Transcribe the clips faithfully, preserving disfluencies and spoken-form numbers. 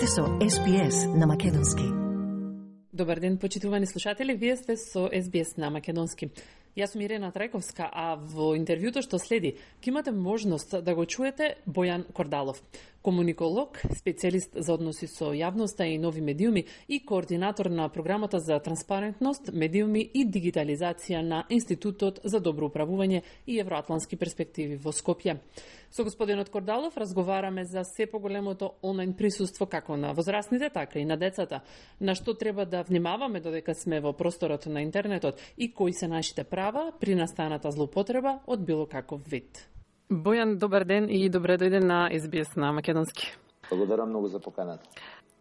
сте со Ес Би Ес на македонски. Добар ден, почитувани слушатели, вие сте со Ес Би Ес на македонски. Јас сум Ирена Трајковска, а во интервјуто што следи, ќе имате можност да го чуете Бојан Кордалов, комуниколог, специјалист за односи со јавноста и нови медиуми и координатор на програмата за транспарентност, медиуми и дигитализација на Институтот за добро управување и евроатлански перспективи во Скопје. Со господинот Кордалов разговараме за се поголемото онлайн присуство како на возрастните, така и на децата, на што треба да внимаваме додека сме во просторот на интернетот и кои се нашите права при настаната злоупотреба од било каков вид. Бојан, добар ден и добре дојде на Ес Би Ес на македонски. Благодарам многу за поканата.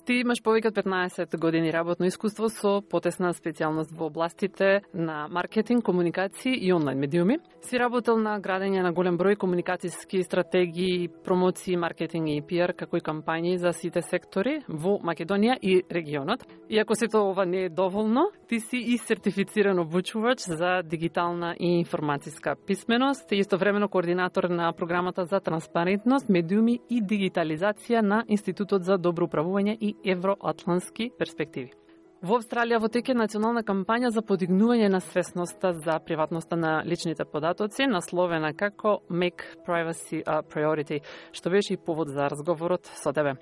Ти имаш повеќе од петнаесет години работно искуство со потесна специјалност во областите на маркетинг, комуникација и онлайн медиуми. Си работел на градење на голем број комуникацијски стратегии, промоции, маркетинг и пи ар, како и кампањи за сите сектори во Македонија и регионот. Иако сето ова не е доволно, ти си и сертифициран обучувач за дигитална и информацијска писменост и истовремено координатор на програмата за транспарентност, медиуми и дигитализација на Институтот за добро управување и евроатлански перспективи. Во Австралија во тек е национална кампања за подигнување на свесноста за приватноста на личните податоци, насловена како Make Privacy a Priority, што беше и повод за разговорот со тебе.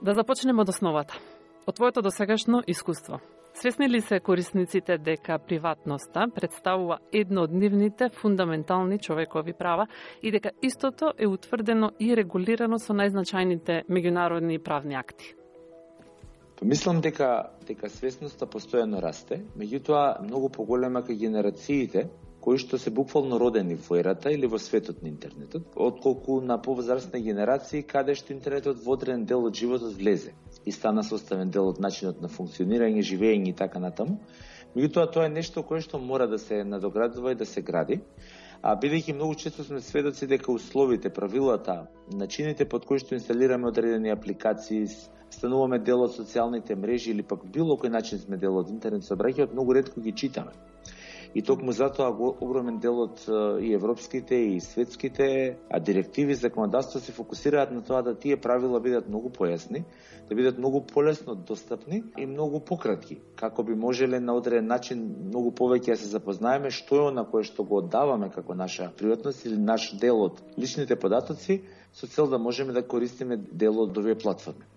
Да започнеме од основата. Од твоето досегашно искуство. Свесни ли се корисниците дека приватноста представува едно од нивните фундаментални човекови права и дека истото е утврдено и регулирано со најзначајните меѓународни правни акти? Мислам дека дека свесноста постојано расте, меѓутоа многу поголема кај генерациите кои што се буквално родени во ерата или во светот на интернетот, отколку на повозрастни генерации каде што интернетот во одреден дел од животот влезе и стана составен дел од начинот на функционирање, живење и така натаму. Меѓутоа тоа е нешто кое што мора да се надоградува и да се гради. А бидејќи многу често сме сведоци дека условите, правилата, начините под кои што инсталираме одредени апликации, стануваме дел од социјалните мрежи или пак било кој начин сме дел од интернет сообраќајот, многу ретко ги читаме. И токму затоа огромен дел од и европските и светските а директиви, законодавство се фокусираат на тоа да тие правила бидат многу појасни, да бидат многу полесно достапни и многу пократки, како би можеле на одреден начин многу повеќе да се запознаеме што е она кое што го оддаваме како наша приватност или наш дел од личните податоци, со цел да можеме да користиме дел од овие платформи.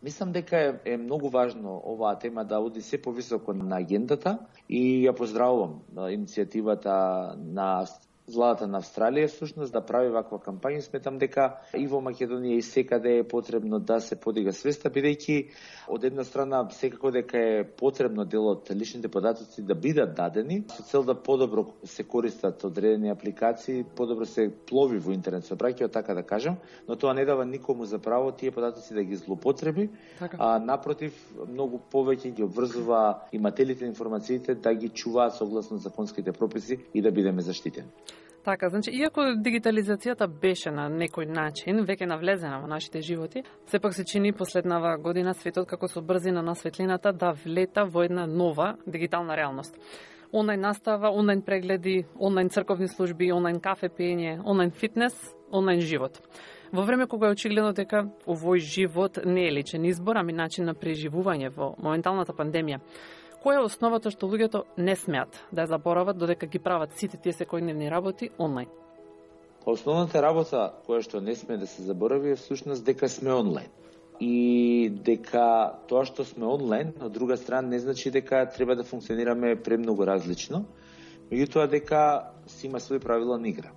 Мислам дека е, е многу важно оваа тема да оди се повисоко на агендата и ја поздравувам иницијативата на владата на Австралија всушност да прави ваква кампања. Сметам дека и во Македонија и секаде е потребно да се подига свеста, бидејќи од една страна секако дека е потребно дел од личните податоци да бидат дадени со цел да подобро се користат одредени апликации, подобро се плови во интернет сообраќајот, така да кажам, но тоа не дава никому за право тие податоци да ги злоупотреби, така. А напротив многу повеќе ги обврзува имателите на информациите да ги чуваат согласно законските прописи и да бидеме заштитени. Така, значи, иако дигитализацијата беше на некој начин веќе навлезена во нашите животи, сепак се чини последнава година светот како со брзина на светлината да влета во една нова дигитална реалност. Онлайн настава, онлайн прегледи, онлайн црковни служби, онлайн кафе пиење, онлайн фитнес, онлайн живот. Во време кога е очигледно дека овој живот не е личен избор, ами начин на преживување во моменталната пандемија, која е основата што луѓето не смеат да ја заборават додека ги прават сите тие секојдневни работи онлайн? Основната работа која што не сме да се заборави е всушност дека сме онлайн. И дека тоа што сме онлайн, од друга страна не значи дека треба да функционираме премногу различно, меѓутоа дека си има свои правила на игра.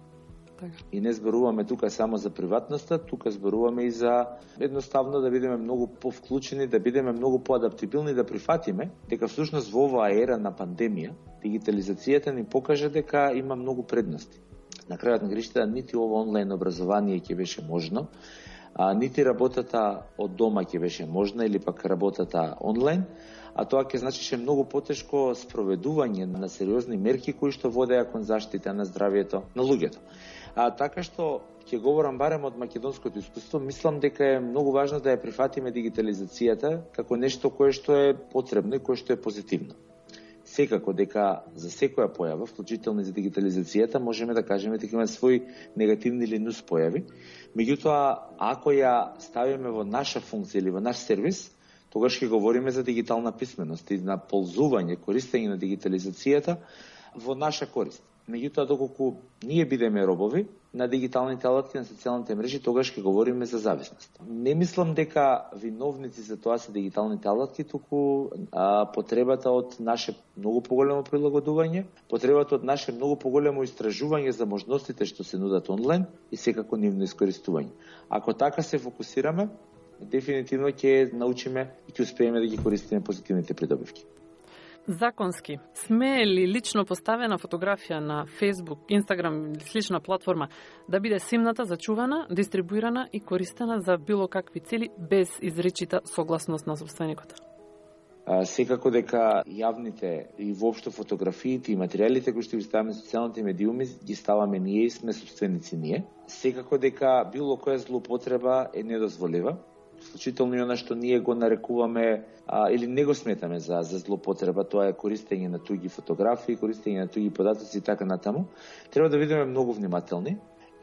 И не зборуваме тука само за приватноста, тука зборуваме и за едноставно да бидеме многу повклучени, да бидеме многу поадаптибилни, да прифатиме дека всушност во оваа ера на пандемија дигитализацијата ни покажа дека има многу предности. На крајот на гришта нити ова онлайн образование ќе беше можно, а нити работата од дома ќе беше можна или пак работата онлайн, а тоа ќе значише многу потешко спроведување на сериозни мерки кои што водеа кон заштита на здравието на луѓето. А така што ќе говорам барем од македонското искуство, мислам дека е многу важно да ја прифатиме дигитализацијата како нешто кое што е потребно и кое што е позитивно. секако дека за секоја појава, вклучително за дигитализацијата, можеме да кажеме дека има своји негативни или нус појави. Меѓутоа, ако ја ставиме во наша функција или во наш сервис, тогаш ќе говориме за дигитална писменост и на ползување, користење на дигитализацијата во наша корист. Меѓутоа, доколку ние бидеме робови на дигиталните алатки, на социјалните мрежи, тогаш ќе говориме за зависност. Не мислам дека виновници за тоа се дигиталните алатки, туку а, потребата од наше многу поголемо прилагодување, потребата од наше многу поголемо истражување за можностите што се нудат онлайн и секако нивно искористување. Ако така се фокусираме, дефинитивно ќе научиме и ќе успееме да ги користиме позитивните придобивки. Законски, смее ли лично поставена фотографија на Facebook, Instagram или слична платформа да биде симната, зачувана, дистрибуирана и користена за било какви цели без изричита согласност на собственикот? А, секако дека јавните и воопшто фотографиите и материјалите кои што ги ставаме на социјалните медиуми ги ставаме ние и сме собственици ние. Секако дека било која злоупотреба е недозволива. Вклучително и она што ние го нарекуваме а, или не го сметаме за, за злоупотреба, тоа е користење на туѓи фотографии, користење на туѓи податоци и така натаму. Треба да бидеме многу внимателни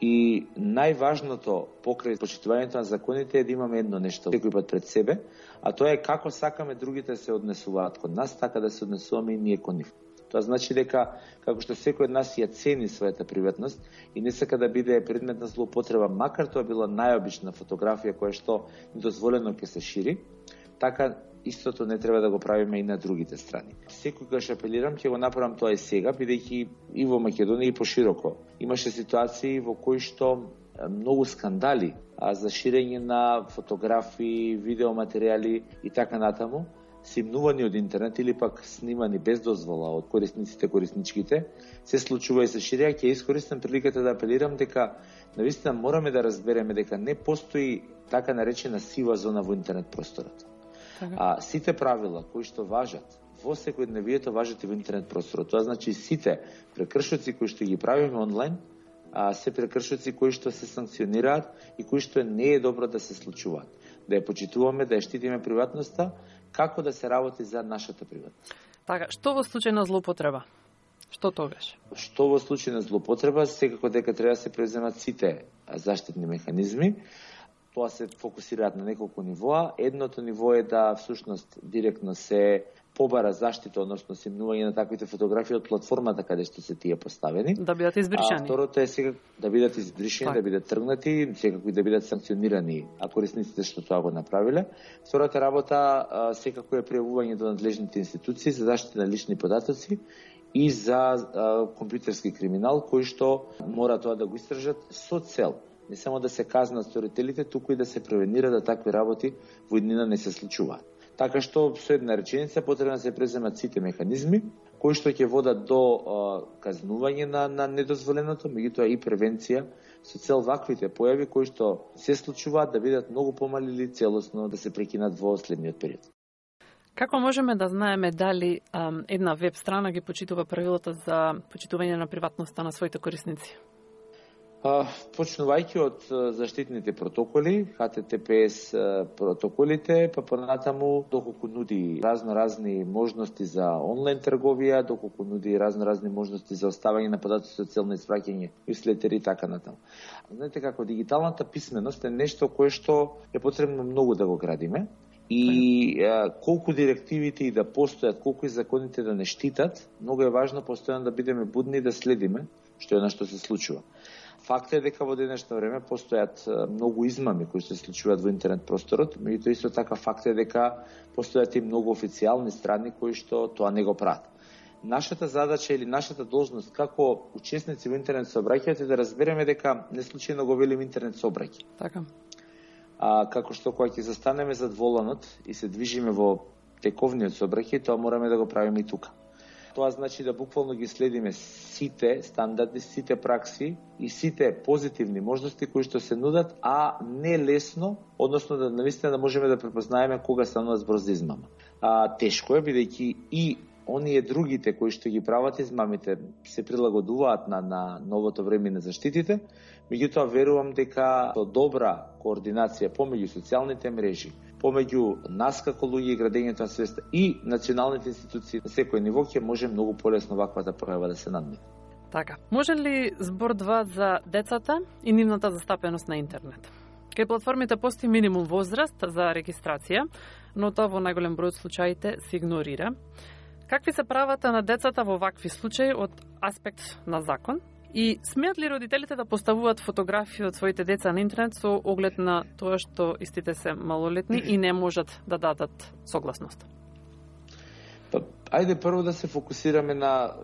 и најважното покрај почитувањето на законите е да имаме едно нешто секој пат пред себе, а тоа е како сакаме другите се однесуваат кон нас, така да се однесуваме и ние кон нив. Тоа значи дека, како што секој од нас ја цени својата приватност и не сака да биде предмет на злоупотреба, макар тоа била најобична фотографија која што недозволено ќе се шири, така истото не треба да го правиме и на другите страни. Секогаш апелирам, ќе го направам тоа и сега, бидејќи и во Македонија и пошироко имаше ситуации во кои што многу скандали а, за ширење на фотографии, видеоматеријали и така натаму, симнувани од интернет или пак снимани без дозвола од корисниците, корисничките, се случува и се ширија. Ќе искористам приликата да апелирам дека навистина мораме да разбереме дека не постои така наречена сива зона во интернет просторот. А сите правила кои што важат во секојдневието важат и во интернет просторот. Тоа значи сите прекршоци кои што ги правиме онлайн, а се прекршоци кои што се санкционираат и кои што не е добро да се случуваат. Да ја почитуваме, да ја штитиме приватноста, како да се работи за нашата приватност. Така, што во случај на злоупотреба? Што тогаш? Што во случај на злоупотреба, секако дека треба да се преземат сите заштитни механизми. Тоа се фокусираат на неколку нивоа. Едното ниво е да всушност директно се побара заштита, односно симнување на таквите фотографии од платформата каде што се тие поставени. Да бидат избришани. А второто е сега да бидат избришани, да бидат тргнати, секако и да бидат санкционирани, а корисниците што тоа го направиле. Втората работа секако е пријавување до надлежните институции за заштита на лични податоци и за а, компјутерски криминал, кој што мора тоа да го истражат со цел не само да се казнат сторителите, туку и да се превенира да такви работи во иднина не се случуваат. Така што со една реченица потребно да се преземат сите механизми кои што ќе водат до а, казнување на, на недозволеното, меѓутоа и превенција со цел ваквите појави кои што се случуваат да бидат многу помали или целосно да се прекинат во следниот период. Како можеме да знаеме дали ам, една веб страна ги почитува правилата за почитување на приватноста на своите корисници? Почнувајќи од заштитните протоколи, Х Т Т П С протоколите, па понатаму доколку нуди разно-разни можности за онлайн трговија, доколку нуди разно-разни можности за оставање на податоци со цел на испраќање нюслетери и така натаму. Знаете како дигиталната писменост е нешто кое што е потребно многу да го градиме и а, колку директивите и да постојат, колку и законите да не штитат, многу е важно постојано да бидеме будни и да следиме што е на што се случува. Факт е дека во денешно време постојат многу измами кои се случуваат во интернет просторот, меѓутоа исто така факт е дека постојат и многу официјални страни кои што тоа не го прават. Нашата задача или нашата должност како учесници во интернет сообраќајот е да разбереме дека не случајно го велим интернет сообраќај. Така. А како што кога ќе застанеме зад воланот и се движиме во тековниот сообраќај, тоа мораме да го правиме и тука. Тоа значи да буквално ги следиме сите стандарди, сите пракси и сите позитивни можности кои што се нудат, а не лесно, односно да навистина да можеме да препознаеме кога станува збор за измама. А, тешко е, бидејќи и оние другите кои што ги прават измамите се прилагодуваат на, на новото време на заштитите, меѓутоа верувам дека со добра координација помеѓу социјалните мрежи, помеѓу нас како луѓе и градењето на свеста и националните институции на секој ниво ќе може многу полесно ваквата пројава да се надмине. Така, може ли збор два за децата и нивната застапеност на интернет? Кај платформите постои минимум возраст за регистрација, но тоа во најголем број од случаите се игнорира. Какви се правата на децата во вакви случаи од аспект на закон? И смеат ли родителите да поставуваат фотографии од своите деца на интернет со оглед на тоа што истите се малолетни и не можат да дадат согласност? Па, ајде прво да се фокусираме на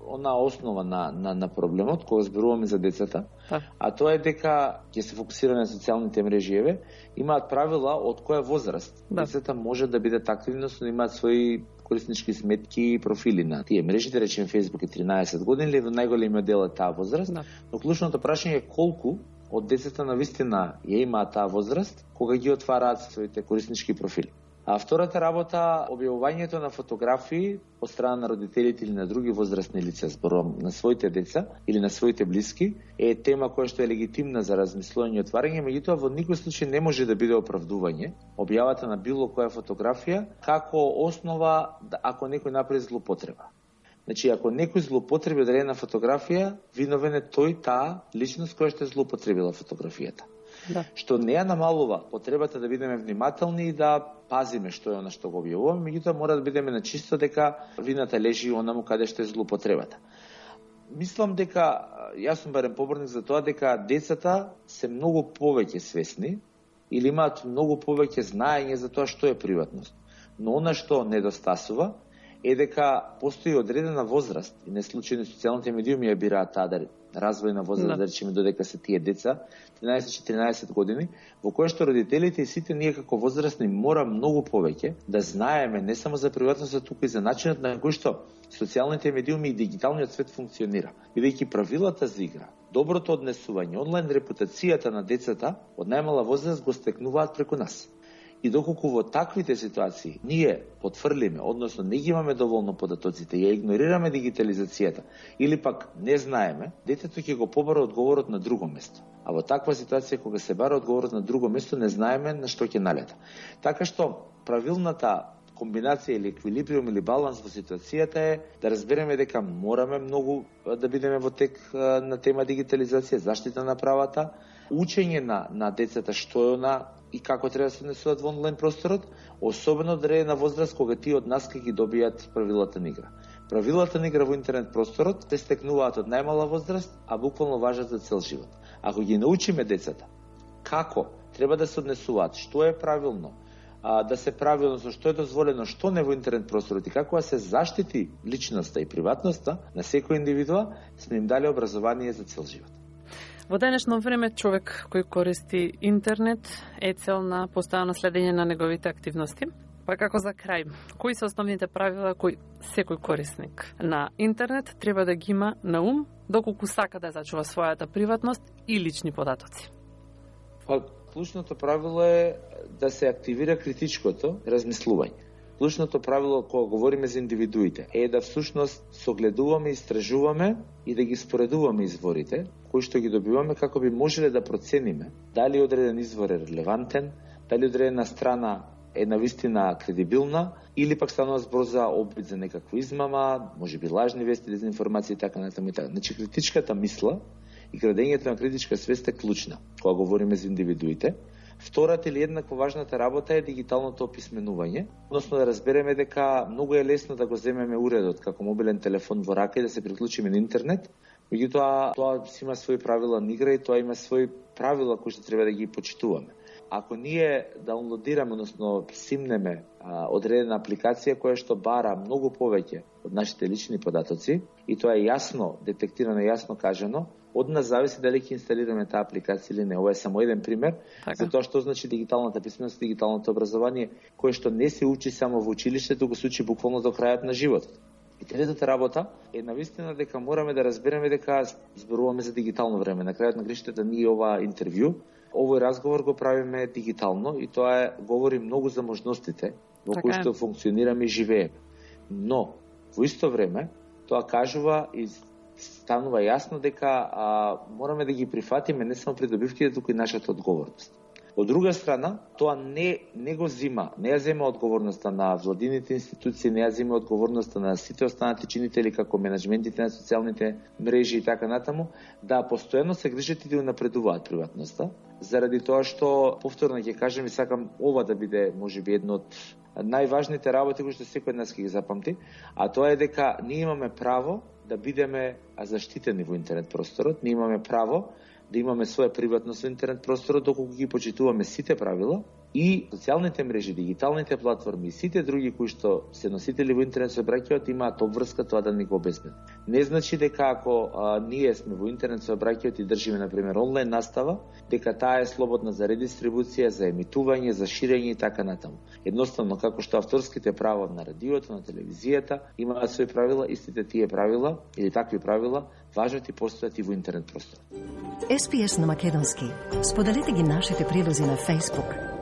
она основа на, на, на проблемот, кога зборуваме за децата, Та. а тоа е дека ќе се фокусираме на социјалните мрежи, еве, имаат правила од која возраст. Да. Децата може да бидат активни, но имаат своји кориснички сметки и профили на тие мрежи, да речеме Facebook е тринаесет години, или во најголемиот дел е таа возраст, да. Но клучното прашање е колку од децата на вистина ја имаат таа возраст, кога ги отвараат своите кориснички профили. А втората работа, објавувањето на фотографии од страна на родителите или на други возрастни лица, зборувам на своите деца или на своите блиски, е тема која што е легитимна за размислување и отварање, меѓутоа во никој случај не може да биде оправдување објавата на било која фотографија како основа ако некој направи злоупотреба. Значи, ако некој злоупотреби одредена фотографија, виновен е тој, таа личност која што е злоупотребила фотографијата. Да. Што не ја намалува потребата да бидеме внимателни и да пазиме што е она што го објавуваме, меѓутоа мора да бидеме на чисто дека вината лежи онаму каде што е злоупотребата. Мислам дека, јас сум барем поборник за тоа дека децата се многу повеќе свесни или имаат многу повеќе знаење за тоа што е приватност. Но она што недостасува е дека постои одредена возраст, и не случајно социјалните медиуми ја бираат таа да развојна возраст, да речеме додека се тие деца, тринаесет-четиринаесет години, во која што родителите и сите ние како возрастни мора многу повеќе да знаеме не само за приватноста, туку и за начинот на кој што социјалните медиуми и дигиталниот свет функционира. Бидејќи правилата за игра, доброто однесување, онлайн репутацијата на децата од најмала возраст го стекнуваат преку нас. И доколку во таквите ситуации ние потврлиме, односно не ги имаме доволно податоците, ја игнорираме дигитализацијата или пак не знаеме, детето ќе го побара одговорот на друго место. А во таква ситуација кога се бара одговорот на друго место, не знаеме на што ќе налета. Така што правилната комбинација или еквилибриум или баланс во ситуацијата е да разбереме дека мораме многу да бидеме во тек на тема дигитализација, заштита на правата, учење на, на децата што е она и како треба да се однесуваат во онлайн просторот, особено одредена возраст кога тие од нас ќе ги добијат правилата на игра. Правилата на игра во интернет просторот се стекнуваат од најмала возраст, а буквално важат за цел живот. Ако ги научиме децата како треба да се однесуваат, што е правилно, а, да се правилно, што е дозволено, што не во интернет просторот и како да се заштити личноста и приватноста на секој индивидуа, сме им дали образование за цел живот. Во денешно време човек кој користи интернет е цел на постојано следење на неговите активности. Па како за крај, кои се основните правила кои секој корисник на интернет треба да ги има на ум доколку сака да зачува својата приватност и лични податоци? Па, клучното правило е да се активира критичкото размислување. Клучното правило кога говориме за индивидуите е да всушност согледуваме, истражуваме и да ги споредуваме изворите кои што ги добиваме како би можеле да процениме дали одреден извор е релевантен, дали одредена страна е навистина кредибилна или пак станува збор за обид за некаква измама, можеби лажни вести, дезинформација и така натаму и така. Значи критичката мисла и градењето на критичка свест е клучна кога говориме за индивидуите. Втората или еднакво важната работа е дигиталното описменување, односно да разбереме дека многу е лесно да го земеме уредот како мобилен телефон во рака и да се приклучиме на интернет, меѓутоа тоа си има своји правила на игра и тоа има своји правила кои што треба да ги почитуваме. Ако ние даунлодираме, односно симнеме а, одредена апликација која што бара многу повеќе од нашите лични податоци и тоа е јасно детектирано, јасно кажано, од нас зависи дали ќе инсталираме таа апликација или не. Ова е само еден пример така. За тоа што значи дигиталната писменост, дигиталното образование, кое што не се учи само во училиште, туку се учи буквално до крајот на животот. И третата работа е навистина дека мораме да разбереме дека зборуваме за дигитално време. На крајот на гриштата ние ова интервју, овој разговор го правиме дигитално и тоа е говори многу за можностите во кои што функционираме и живееме. Но Во исто време, тоа кажува и станува јасно дека а, мораме да ги прифатиме не само придобивките, туку и нашата одговорност. Од друга страна, тоа не, не го зима, не ја зема одговорноста на владините институции, не ја зема одговорноста на сите останати чинители, како менеджментите на социјалните мрежи и така натаму, да постојано се грижат и да напредуваат приватноста, заради тоа што, повторно ќе кажем и сакам ова да биде, можеби, едно од најважните работи кои што секој од нас ќе ги запамти, а тоа е дека ние имаме право да бидеме заштитени во интернет просторот, ние имаме право да имаме своја приватност во интернет просторот, доколку ги почитуваме сите правила и социјалните мрежи, дигиталните платформи и сите други кои што се носители во интернет сообраќајот имаат обврска тоа да ни го обезбедат. Не значи дека ако а, ние сме во интернет сообраќајот и држиме на пример онлайн настава, дека таа е слободна за редистрибуција, за емитување, за ширење и така натаму. Едноставно како што авторските права на радиото, на телевизијата имаат свои правила, истите тие правила или такви правила важат и постојат и во интернет просторот. Ес Би Ес на македонски. Споделете ги нашите прилози на Facebook,